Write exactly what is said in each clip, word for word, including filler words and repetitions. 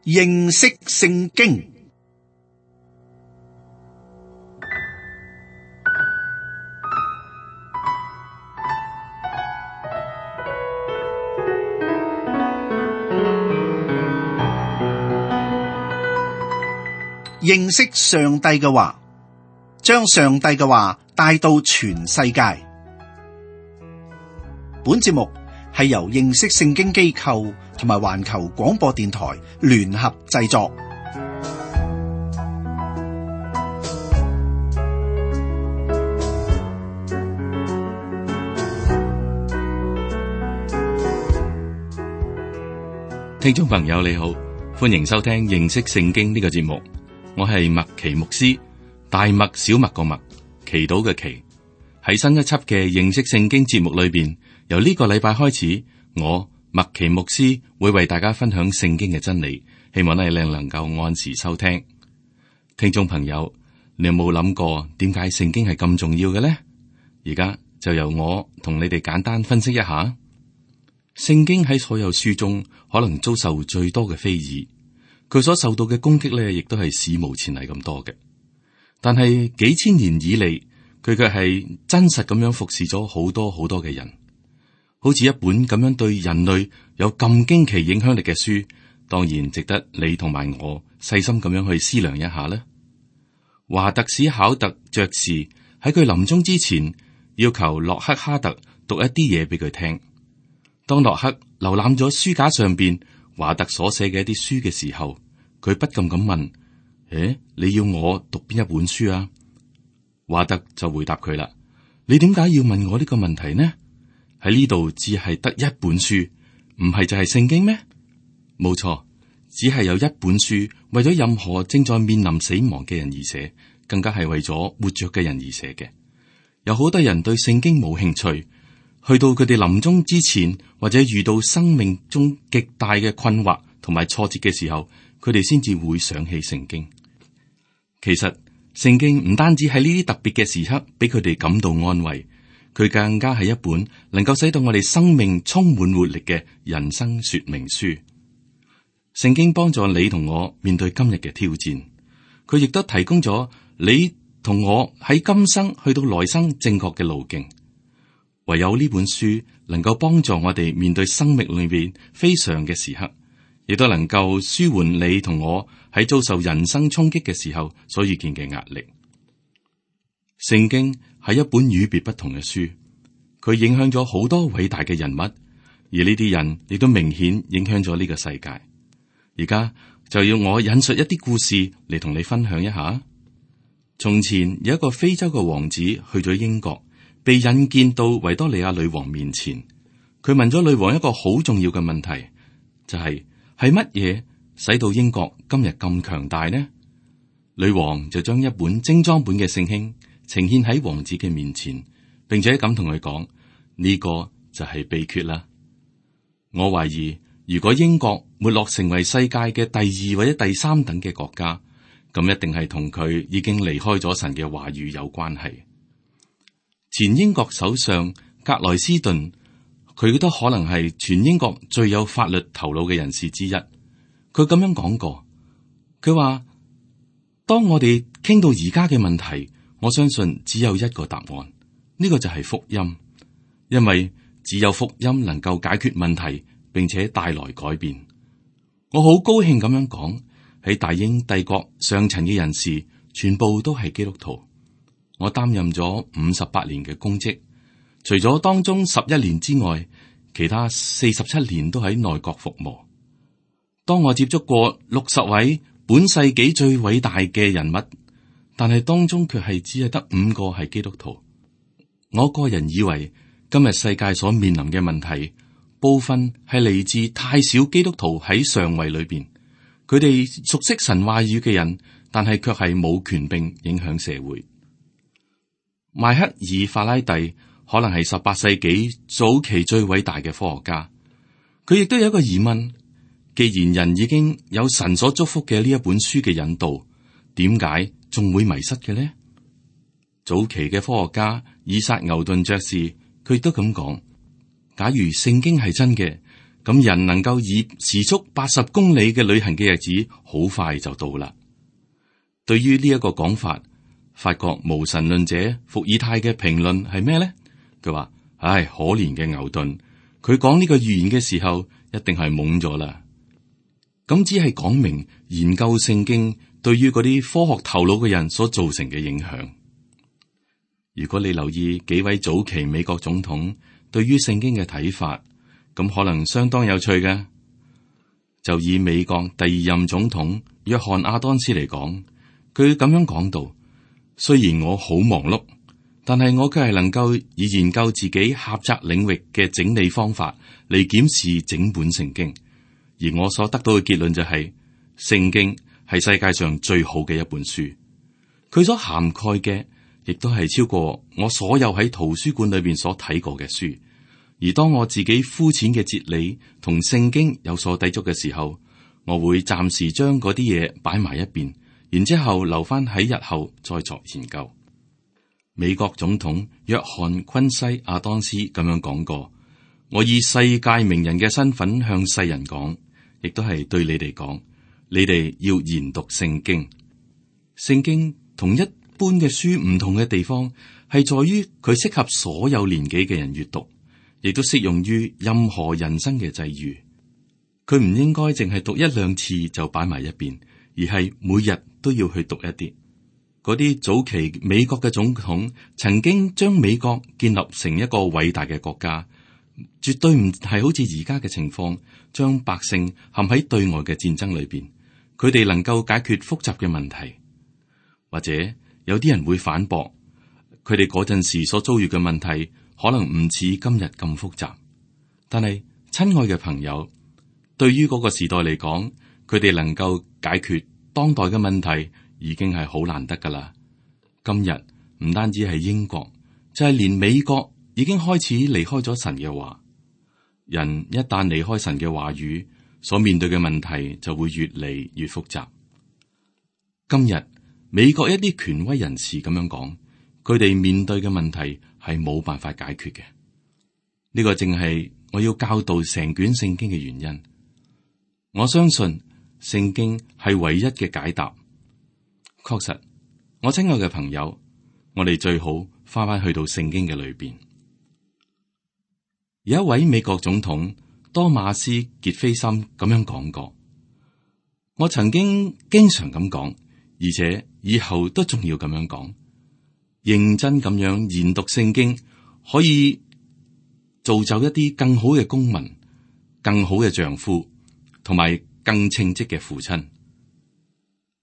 認識聖經。認識上帝嘅話，將上帝嘅話帶到全世界。本節目係由認識聖經機構同埋環球廣播電台聯合製作。聽眾朋友你好，歡迎收聽認識聖經呢個節目。我係麥奇牧師，大麥小麥個麥，祈禱嘅祈。喺新一輯嘅認識聖經節目裏邊，由呢個禮拜開始，我麥奇牧師會為大家分享聖經嘅真理，希望咧你能夠按時收聽。聽眾朋友，你有冇諗過點解聖經係咁重要嘅呢？而家就由我同你哋簡單分析一下。聖經喺所有書中可能遭受最多嘅非議。佢所受到嘅攻擊咧，亦都係史無前例咁多嘅。但係幾千年以嚟，佢卻係真實咁樣服侍咗好多好多嘅人。好似一本咁樣對人類有咁驚奇影響力嘅書，當然值得你同埋我細心咁樣去思量一下啦。華特史考特爵士喺佢臨終之前，要求洛克哈特讀一啲嘢俾佢聽。當洛克瀏覽咗書架上邊華特所寫嘅一啲書嘅時候，佢不禁咁問：誒，你要我讀邊一本書啊？華特就回答佢啦：你點解要問我呢個問題呢？喺呢度只係得一本書，唔係就係聖經咩？冇錯，只係有一本書為咗任何正在面臨死亡嘅人而寫，更加係為咗活着嘅人而寫嘅。有好多人對聖經冇興趣。去到佢哋臨終之前，或者遇到生命中極大嘅困惑同埋挫折嘅時候，佢哋先至會想起聖經。其實聖經唔單止喺呢啲特別嘅時刻俾佢哋感到安慰，佢更加係一本能夠使到我哋生命充滿活力嘅人生說明書。聖經幫助你同我面對今日嘅挑戰，佢亦都提供咗你同我喺今生去到來生正確嘅路徑。唯有呢本書能夠幫助我哋面對生命裏邊非常嘅時刻，亦都能夠舒緩你同我喺遭受人生衝擊嘅時候所遇見嘅壓力。聖經係一本與別不同嘅書，佢影響咗好多偉大嘅人物，而呢啲人亦都明顯影響咗呢個世界。而家就要我引述一啲故事嚟同你分享一下。從前有一個非洲嘅王子去咗英國，被引薦到維多利亞女王面前，佢問咗女王一個好重要嘅問題，就係係乜嘢使到英國今日咁強大呢？女王就將一本精裝本嘅聖經呈現喺王子嘅面前，並且咁同佢講：呢個就係秘訣啦。我懷疑，如果英國沒落成為世界嘅第二或者第三等嘅國家，咁一定係同佢已經離開咗神嘅話語有關係。前英國首相格萊斯頓，佢都可能係全英國最有法律頭腦嘅人士之一。佢咁樣講過，佢話：當我哋傾到而家嘅問題，我相信只有一個答案，呢個就係福音，因為只有福音能夠解決問題，並且帶來改變。我好高興咁樣講，喺大英帝國上層嘅人士全部都係基督徒。我擔任咗五十八年嘅公職，除咗當中十一年之外，其他四十七年都喺內閣服務。當我接觸過六十位本世紀最偉大嘅人物，但係當中卻係只係得五個係基督徒。我個人以為今日世界所面臨嘅問題，部分係嚟自太少基督徒喺上位裏邊，佢哋熟悉神話語嘅人，但係卻係冇權柄影響社會。邁克爾法拉第可能係十八世紀早期最偉大嘅科學家，佢亦都有一個疑問：既然人已經有神所祝福嘅呢一本書嘅引導，點解仲會迷失嘅呢？早期嘅科學家以撒牛頓爵士，佢亦都咁講：假如聖經係真嘅，咁人能夠以時速八十公里嘅旅行嘅日子，好快就到啦。對於呢一個講法，法國無神論者伏爾泰嘅評論係咩呢？佢話：唉，可憐嘅牛頓，佢講呢個預言嘅時候，一定係懵咗啦。咁只係講明研究聖經對於嗰啲科學頭腦嘅人所造成嘅影響。如果你留意幾位早期美國總統對於聖經嘅睇法，咁可能相當有趣嘅。就以美國第二任總統約翰亞當斯嚟講，佢咁樣講到：雖然我好忙碌，但係我卻係能夠以研究自己狹窄領域嘅整理方法嚟檢視整本聖經，而我所得到嘅結論就係，聖經係世界上最好嘅一本書。佢所涵蓋嘅亦都係超過我所有喺圖書館裏邊所睇過嘅書。而當我自己膚淺嘅哲理同聖經有所抵觸嘅時候，我會暫時將嗰啲嘢擺埋一邊，然之後留翻喺日後再作研究。美國總統約翰昆西亞當斯咁樣講過：我以世界名人嘅身份向世人講，亦都係對你哋講，你哋要研讀聖經。聖經同一般嘅書唔同嘅地方，係在於佢適合所有年紀嘅人閱讀。亦都適用於任何人生嘅際遇，佢唔應該淨係讀一兩次就擺埋一邊，而係每日都要去讀一啲。嗰啲早期美國嘅總統曾經將美國建立成一個偉大嘅國家，絕對唔係好似而家嘅情況，將百姓陷喺對外嘅戰爭裏邊。佢哋能夠解決複雜嘅問題，或者有啲人會反駁，佢哋嗰陣時所遭遇嘅問題可能唔似今日咁複雜，但係親愛嘅朋友，對於嗰個時代嚟講，佢哋能夠解決當代嘅問題已經係好難得噶啦。今日唔單止係英國，就係連美國已經開始離開咗神嘅話。人一旦離開神嘅話語，所面對嘅問題就會越嚟越複雜。今日美國一啲權威人士咁樣講，佢哋面對嘅問題係冇辦法解決嘅。呢個正係我要教導成卷聖經嘅原因。我相信聖經係唯一嘅解答。確實，我親愛嘅朋友，我哋最好翻返去到聖經嘅裏邊。有一位美國總統多馬斯傑菲森咁樣講過，我曾經經常咁講，而且以後都仲要咁樣講。認真咁樣研讀聖經，可以造就一啲更好嘅公民、更好嘅丈夫，同埋更稱職嘅父親。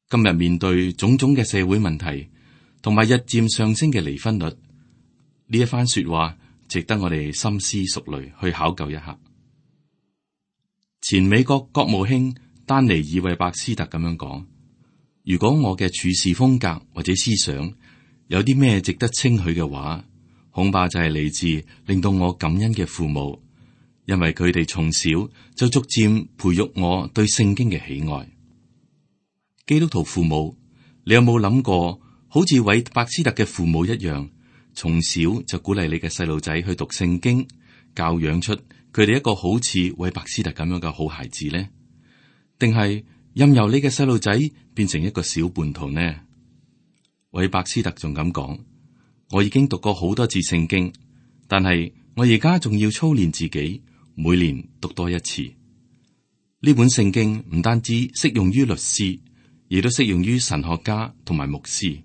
今日面對種種嘅社會問題，同埋日漸上升嘅離婚率，呢一番說話值得我哋深思熟慮，去考究一下。前美國國務卿丹尼爾韋伯斯特咁樣講：如果我嘅處事風格或者思想有啲咩值得稱許嘅話，恐怕就係嚟自令到我感恩嘅父母，因為佢哋從小就逐漸培育我對聖經嘅喜愛。基督徒父母，你有冇諗過，好似韋伯斯特嘅父母一樣，從小就鼓勵你嘅細路仔去讀聖經，教養出佢哋一個好似韋伯斯特咁樣嘅好孩子呢？定係任由你嘅細路仔變成一個小叛徒呢？韋伯斯特仲咁講：我已經讀過好多次聖經，但係我而家仲要操練自己，每年讀多一次。呢本聖經唔單止適用於律師，亦都適用於神學家同埋牧師。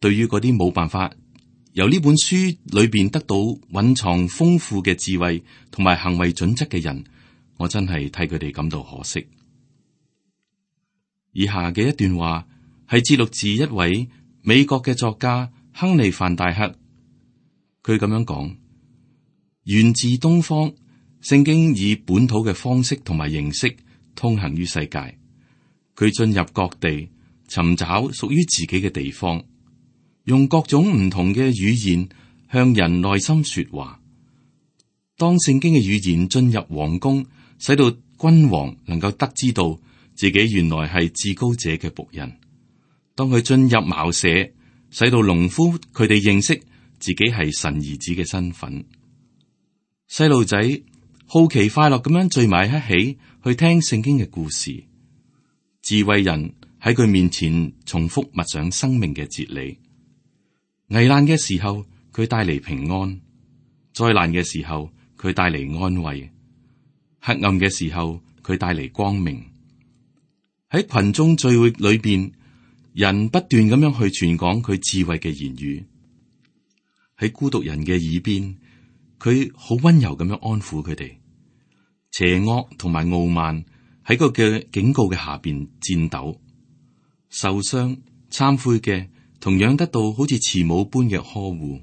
對於嗰啲冇辦法由呢本書裏邊得到蘊藏豐富嘅智慧同埋行為準則嘅人，我真係替佢哋感到可惜。以下嘅一段話係節錄自一位美國嘅作家亨利范戴克，佢咁樣講：源自東方，聖經以本土嘅方式同埋形式通行於世界，佢進入各地，尋找屬於自己嘅地方，用各種唔同嘅語言向人內心說話。當聖經嘅語言進入皇宮，使到君王能夠得知到自己原來係至高者嘅僕人；當佢進入茅舍，使到農夫佢哋認識自己係神兒子嘅身份。細路仔好奇快樂咁樣聚埋一起去聽聖經嘅故事。智慧人喺佢面前重複默想生命嘅哲理。危難嘅時候，佢帶嚟平安；災難嘅時候，佢帶嚟安慰；黑暗嘅時候，佢帶嚟光明。喺群眾聚會裏邊，人不斷咁樣去傳講佢智慧嘅言語。喺孤獨人嘅耳邊，佢好溫柔咁樣安撫佢哋。邪惡同埋傲慢喺個嘅警告嘅下邊顫抖，受傷懺悔嘅同樣得到好似慈母般嘅呵護。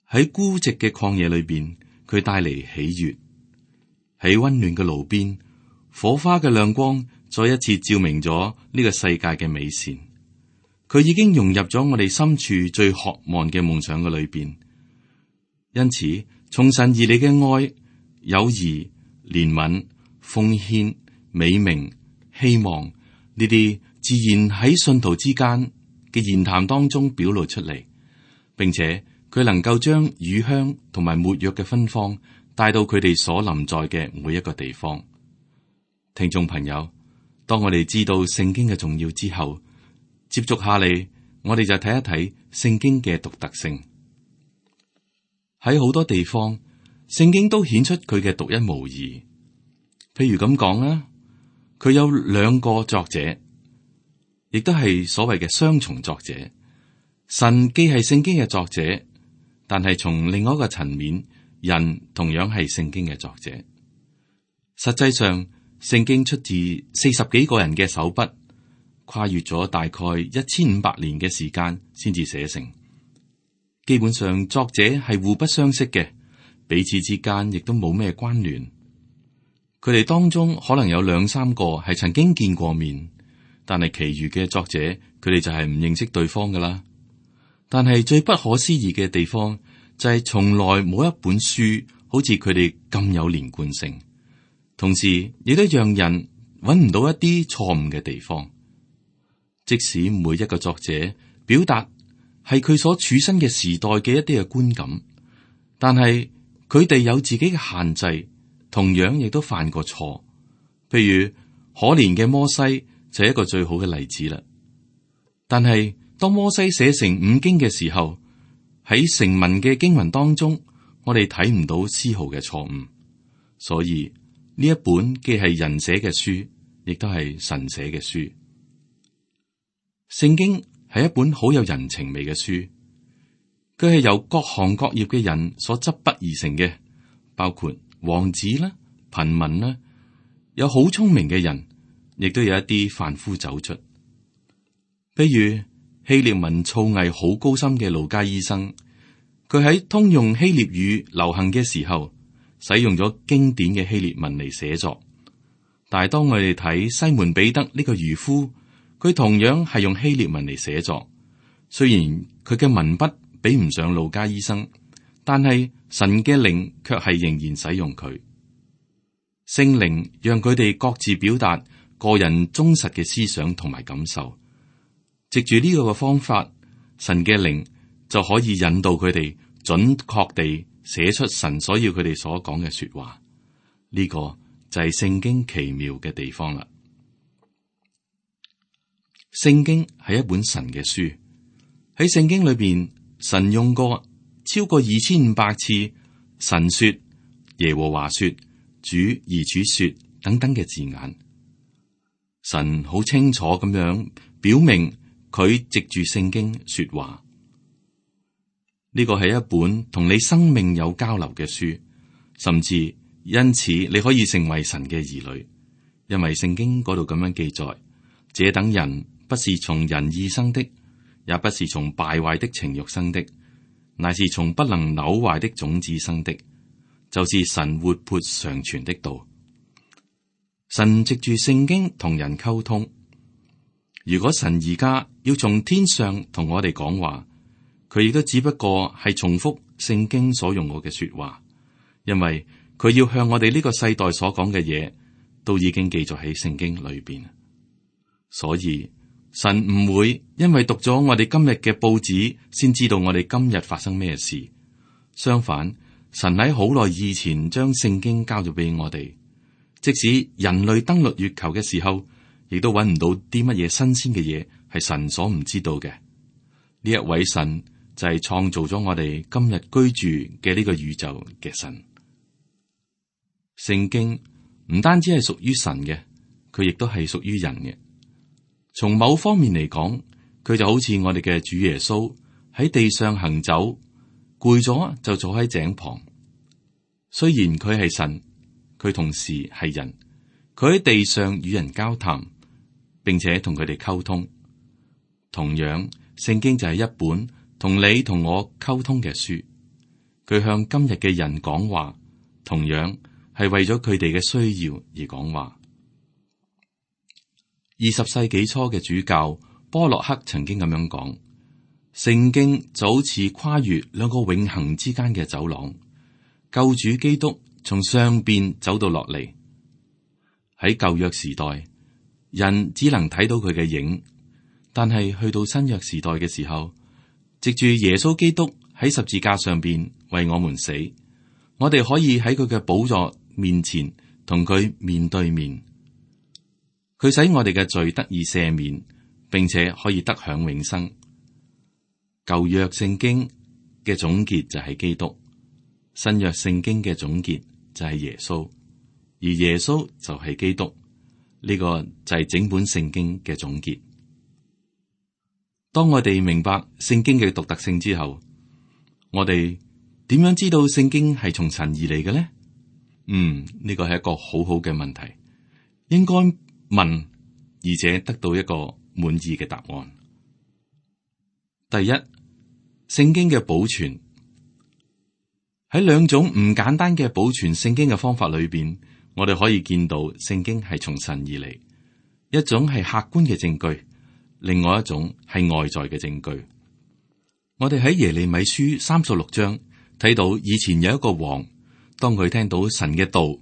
喺孤寂嘅曠野裏邊，佢帶嚟喜悅。喺溫暖嘅爐邊，火花嘅亮光再一次照明咗呢個世界嘅美善。佢已經融入咗我哋深處最渴望嘅夢想嘅裏邊。因此，從神而嚟嘅愛、友誼、憐憫、奉獻、美名、希望呢啲，自然喺信徒之間嘅言談當中表露出嚟，並且佢能夠將乳香同埋沒藥嘅芬芳帶到佢哋所臨在嘅每一個地方。聽眾朋友，當我哋知道聖經嘅重要之後，接續下嚟，我哋就睇一睇聖經嘅獨特性。喺好多地方，聖經都顯出佢嘅獨一無二。譬如咁講啦，佢有兩個作者，亦都係所謂嘅雙重作者。神既係聖經嘅作者，但係從另外一個層面，人同樣係聖經嘅作者。實際上，聖經出自四十幾個人嘅手筆，跨越咗大概一千五百年嘅時間先至寫成。基本上，作者係互不相識嘅，彼此之間亦都冇咩關聯。佢哋當中可能有兩三個係曾經見過面，但係其餘嘅作者，佢哋就係唔認識對方噶啦。但係最不可思議嘅地方就係從來冇一本書好似佢哋咁有連貫性，同時亦都讓人揾唔到一啲錯誤嘅地方。即使每一個作者表達係佢所處身嘅時代嘅一啲嘅觀感，但係佢哋有自己嘅限制，同樣亦都犯過錯。譬如可憐嘅摩西就係一個最好嘅例子啦。但係當摩西寫成五經嘅時候，喺成文嘅經文當中，我哋睇唔到絲毫嘅錯誤。所以呢一本既係人寫嘅書，亦都係神寫嘅書。聖經係一本好有人情味嘅書，佢係由各行各業嘅人所執筆而成嘅，包括王子啦、貧民啦，有好聰明嘅人，亦都有一啲凡夫走卒。譬如希臘文造詣好高深嘅路加醫生，佢喺通用希臘語流行嘅時候，使用咗經典嘅希臘文嚟寫作。但係當我哋睇西門彼得呢個漁夫，佢同樣係用希臘文嚟寫作。雖然佢嘅文筆比唔上路加醫生，但係神嘅靈卻係仍然使用佢。聖靈讓佢哋各自表達個人忠實嘅思想同埋感受。藉住呢個嘅方法，神嘅靈就可以引導佢哋準確地寫出神所要佢哋所講嘅說話。呢個就係聖經奇妙嘅地方啦。聖經係一本神嘅書，喺聖經裏邊，神用過超過二千五百次神說、耶和華說、主而主說等等嘅字眼。神好清楚咁樣表明佢藉住聖經說話。呢個係一本同你生命有交流嘅書，甚至因此你可以成為神嘅兒女，因為聖經嗰度咁樣記載：這等人不是從人意生的，也不是從敗壞的情欲生的，乃是從不能朽壞的種子生的，就是神活潑常存的道。神藉住聖經同人溝通。如果神而家要從天上同我哋講話，佢亦都只不過係重複聖經所用過嘅說話，因為佢要向我哋呢個世代所講嘅嘢，都已經記載喺聖經裏邊。所以神唔會因為讀咗我哋今日嘅報紙，先知道我哋今日發生咩事。相反，神喺好耐以前將聖經交咗俾我哋，即使人類登陸月球嘅時候，亦都揾唔到啲乜嘢新鮮嘅嘢係神所唔知道嘅。呢一位神就係創造咗我哋今日居住嘅呢個宇宙嘅神。聖經唔單止係屬於神嘅，佢亦都係屬於人嘅。從某方面嚟講，佢就好似我哋嘅主耶穌喺地上行走，攰咗就坐喺井旁。雖然佢係神，佢同時係人，佢喺地上與人交談，並且同佢哋溝通。同樣，聖經就係一本同你同我溝通嘅書。佢向今日嘅人講話，同樣係為咗佢哋嘅需要而講話。二十世紀初嘅主教波洛克曾經咁樣講：聖經就好似跨越兩個永恆之間嘅走廊，救主基督從上邊走到落嚟。喺舊約時代，人只能睇到佢嘅影，但係去到新約時代嘅時候，藉住耶穌基督喺十字架上邊為我們死，我哋可以喺佢嘅寶座面前同佢面對面。佢使我哋嘅罪得以赦免，並且可以得享永生。舊約聖經嘅總結就係基督，新約聖經嘅總結就係耶穌，而耶穌就係基督。呢、這個就係整本聖經嘅總結。當我哋明白聖經嘅獨特性之後，我哋點樣知道聖經係從神而嚟嘅呢？嗯，呢個係一個好好嘅問題，應該問，而且得到一個滿意嘅答案。第一，聖經嘅保存。喺兩種唔簡單嘅保存聖經嘅方法裏邊，我哋可以見到聖經係從神而嚟。一種係客觀嘅證據，另外一種係外在嘅證據。我哋喺耶利米書三十六章睇到，以前有一個王，當佢聽到神嘅道，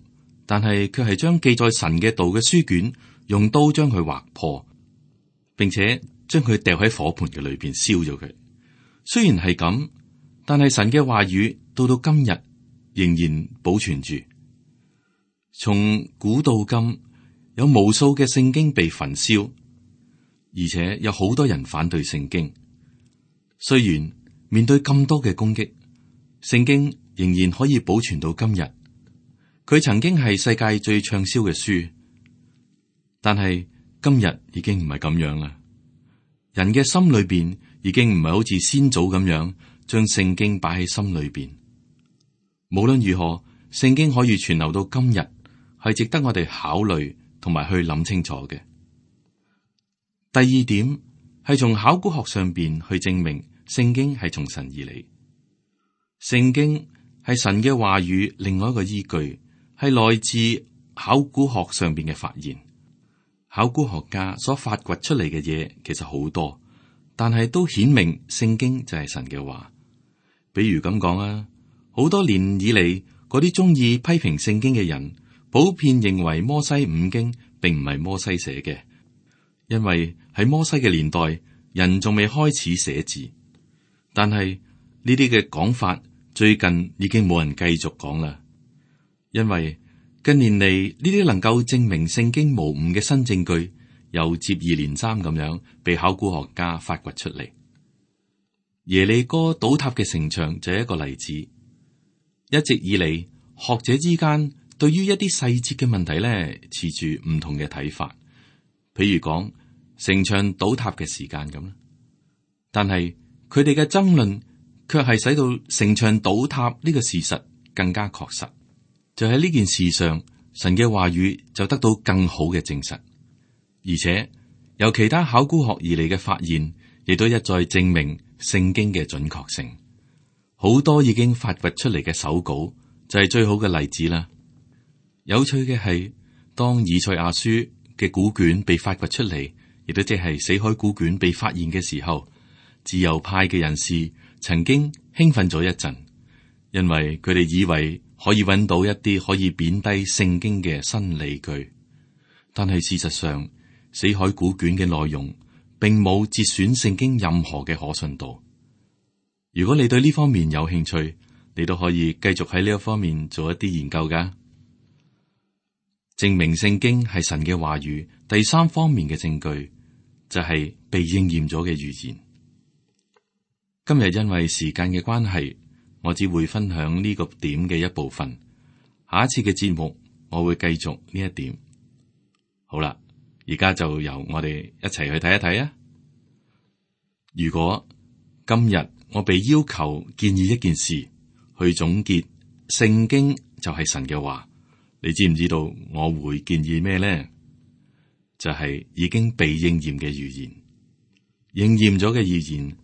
但係佢係將記載神嘅道嘅書卷用刀將佢劃破，並且將佢掉喺火盆嘅裏邊燒咗佢。雖然係咁，但係神嘅話語到到今日仍然保存住。從古到今，有無數嘅聖經被焚燒，而且有好多人反對聖經。雖然面對咁多嘅攻擊，聖經仍然可以保存到今日。佢曾經係世界最暢銷嘅書，但係今日已經唔係咁樣啦。人嘅心裏邊已經唔係好似先祖咁樣將聖經擺喺心裏邊。無論如何，聖經可以存留到今日，係值得我哋考慮同埋去諗清楚嘅。第二點係從考古學上邊去證明聖經係從神而嚟。聖經係神嘅話語，另外一個依據係來自考古學上邊嘅發現。考古學家所發掘出嚟嘅嘢其實好多，但係都顯明聖經就係神嘅話。比如咁講啊，好多年以嚟嗰啲中意批評聖經嘅人，普遍認為摩西五經並唔係摩西寫嘅，因為喺摩西嘅年代，人仲未開始寫字。但係呢啲嘅講法最近已經冇人繼續講啦，因為近年嚟呢啲能夠證明聖經無誤嘅新證據，又接二連三咁樣被考古學家發掘出嚟。耶利哥倒塌嘅城牆就係一個例子。一直以嚟，學者之間對於一啲細節嘅問題咧，持住唔同嘅睇法。譬如講城牆倒塌嘅時間咁啦，但係佢哋嘅爭論卻係使到城牆倒塌呢個事實更加確實。就喺呢件事上，神嘅話語就得到更好嘅證實，而且由其他考古學而嚟嘅發現，亦都一再證明聖經嘅準確性。好多已經發掘出嚟嘅手稿就係最好嘅例子啦。有趣嘅係，當以賽亞書嘅古卷被發掘出嚟，亦都即係死海古卷被發現嘅時候，自由派嘅人士曾經興奮咗一陣，因為佢哋以為可以揾到一啲可以貶低聖經嘅新理據。但係事實上，死海古卷嘅內容並冇節選聖經任何嘅可信度。如果你對呢方面有興趣，你都可以繼續喺呢一方面做一啲研究噶。證明聖經係神嘅話語，第三方面嘅證據就係被應驗咗嘅預言。今日因為時間嘅關係，我只會分享呢個點嘅一部分。下一次嘅節目，我會繼續呢一點。好啦，而家就由我哋一齊去睇一睇啊！如果今日我被要求建議一件事，去總結聖經就係神嘅話，你知唔知道我會建議咩呢？就係、是、已經被應驗嘅預言，應驗咗嘅預言，呢、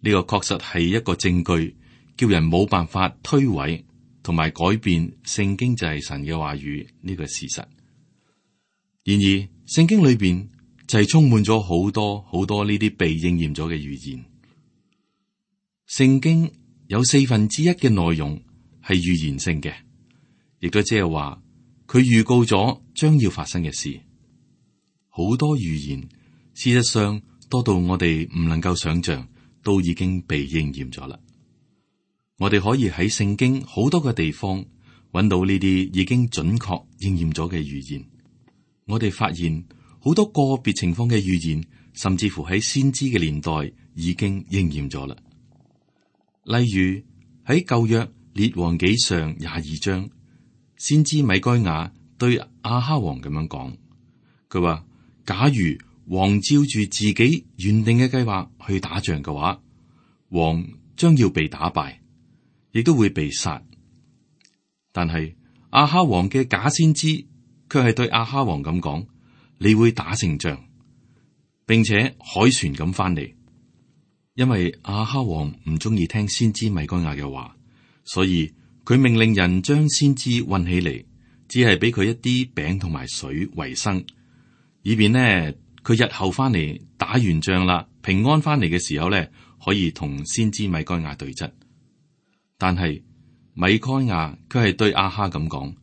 這個確實係一個證據，叫人冇辦法推諉同埋改變聖經就係神嘅話語呢個事實。然而，聖經裏邊就係充滿咗好多好多呢啲被應驗咗嘅預言。聖經有四分之一嘅內容係預言性嘅，亦都即係話佢預告咗將要發生嘅事。好多預言，事實上多到我哋唔能夠想象，都已經被應驗咗啦。我哋可以喺聖經好多個地方揾到呢啲已經準確應驗咗嘅預言。我哋發現好多個別情況嘅預言，甚至乎喺先知嘅年代已經應驗咗啦。例如喺舊約列王紀上廿二章，先知米該亞對亞哈王咁樣講，佢話：假如王照住自己原定嘅計劃去打仗嘅話，王將要被打敗，亦都會被殺。但係亞哈王嘅假先知卻係對亞哈王咁講：你會打勝仗，並且凱旋咁翻嚟。因為亞哈王唔中意聽先知米該亞嘅話，所以佢命令人將先知運起嚟，只係俾佢一啲餅同埋水為生，以便呢佢日後翻嚟打完仗啦，平安翻嚟嘅時候呢，可以同先知米該亞對質。但係米該亞卻係對亞哈咁講：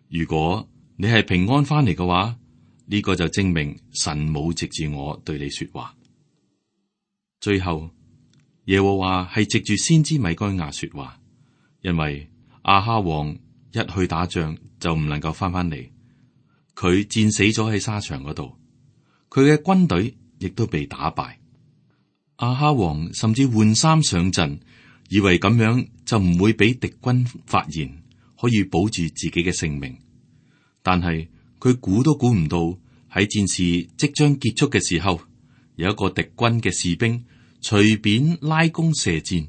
如果你係平安翻嚟嘅話，呢個就證明神冇藉住我對你說話。最後耶和華係藉住先知米該亞說話，因為亞哈王一去打仗就唔能夠翻翻嚟，佢戰死咗喺沙場嗰度，佢嘅軍隊亦都被打敗。亞哈王甚至換衫上陣，以為咁樣就唔會俾敵軍發現，可以保住自己嘅性命。但係佢估都估唔到，喺戰事即將結束嘅時候，有一個敵軍嘅士兵隨便拉弓射箭，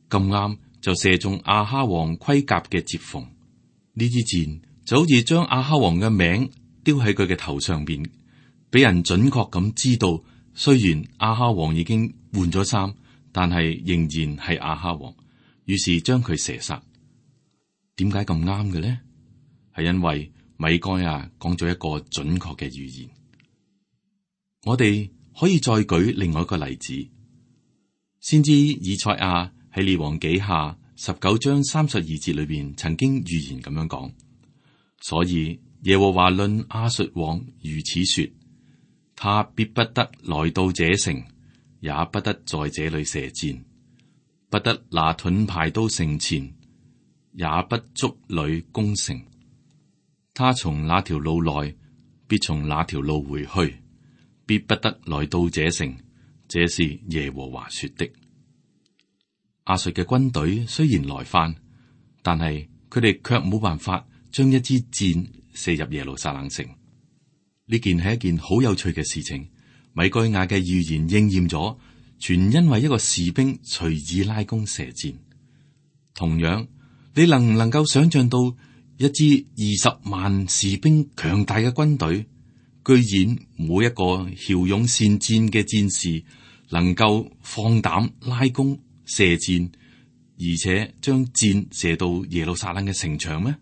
咁啱就射中亞哈王盔甲嘅接縫。呢支箭就好似將亞哈王嘅名丟喺佢嘅頭上邊，俾人準確咁知道，雖然亞哈王已經換咗衫，但係仍然係亞哈王。於是將佢射殺。點解咁啱嘅呢？係因為米該亞講咗一個準確嘅預言。我哋可以再舉另外一個例子。先知以賽亞喺列王紀下十九章三十二節裏邊曾經預言咁樣講，所以耶和華論亞述王如此說：他必不得來到這城，也不得在這裏射箭，不得拿盾牌到城前，也不築壘攻城。他從那條路來，必從那條路回去，必不得來到這城。這是耶和華說的。亞述嘅軍隊雖然來犯，但係佢哋卻冇辦法將一支箭射入耶路撒冷城。呢件係一件好有趣嘅事情。米該亞嘅預言應驗咗，全因為一個士兵隨意拉弓射箭。同樣，你能唔能夠想象到一支二十萬士兵強大嘅軍隊，居然冇一個驍勇善戰嘅戰士能夠放膽拉弓射箭，而且將箭射到耶路撒冷嘅城牆咩？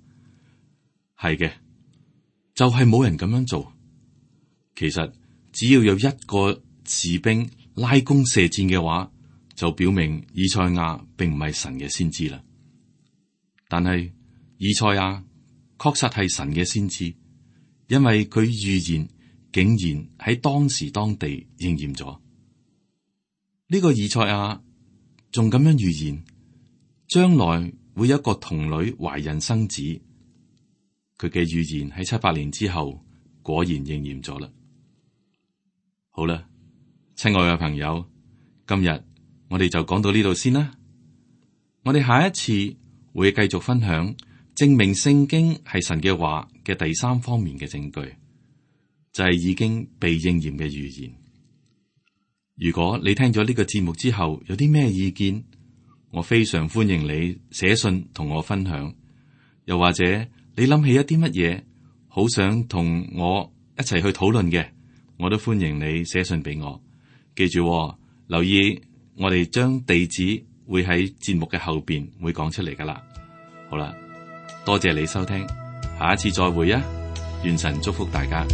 係嘅，就係冇人咁樣做。其實只要有一個士兵拉弓射箭嘅話，就表明以賽亞並唔係神嘅先知啦。但係以賽亞確實係神嘅先知，因為佢預言竟然喺當時當地應驗咗。呢個以賽亞仲咁樣預言，將來會有一個童女懷孕生子。佢嘅預言喺七百年之後果然應驗咗啦。好啦，親愛嘅朋友，今日我哋就講到呢度先啦。我哋下一次會繼續分享證明聖經係神嘅話嘅第三方面嘅證據，就係已經被應驗嘅預言。如果你聽咗呢個節目之後有啲咩意見，我非常歡迎你寫信同我分享。又或者你諗起一啲乜嘢好想同我一齊去討論嘅，我都歡迎你寫信俾我。記住喎，留意我哋將地址會喺節目嘅後邊會講出嚟噶啦。好啦，多謝你收聽，下一次再會啊！願神祝福大家。